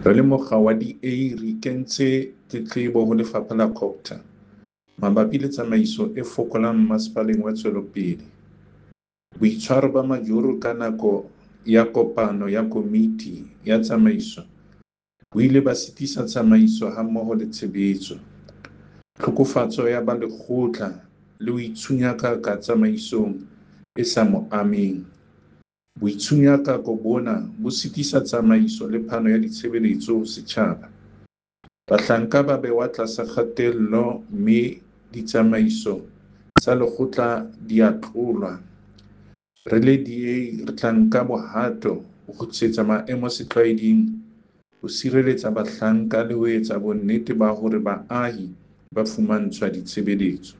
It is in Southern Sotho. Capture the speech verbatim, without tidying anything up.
Re le mokga wa D A re kentse tletlebo ho lefapha la Cogta mabapi le tsamaiso e fokolang Mmasepaleng wa Tswelopele. Boitshwaro ba Majoro ka nako ya kopano ya komiti ya tsamaiso bo ile ba sitisa tsamaiso hammoho le tshebetso. Tlhokofatso ya balekgotla le ho itshunyakaka tsamaisong e sa mo ameng. Boitshunyako bona bo sitisa tsamaiso le phano ya ditshebeletso ho setjhaba. Bahlanka ba behwa tlasa kgatello mme ditsamaiso tsa lekgotla di a tlolwa. Re le D A re tla nka bohato ho kgutlisetsa maemo setlwaeding, ho sireletsa bahlanka le ho etsa bonnete ba hore baahi ba fumantshwa ditshebeletso.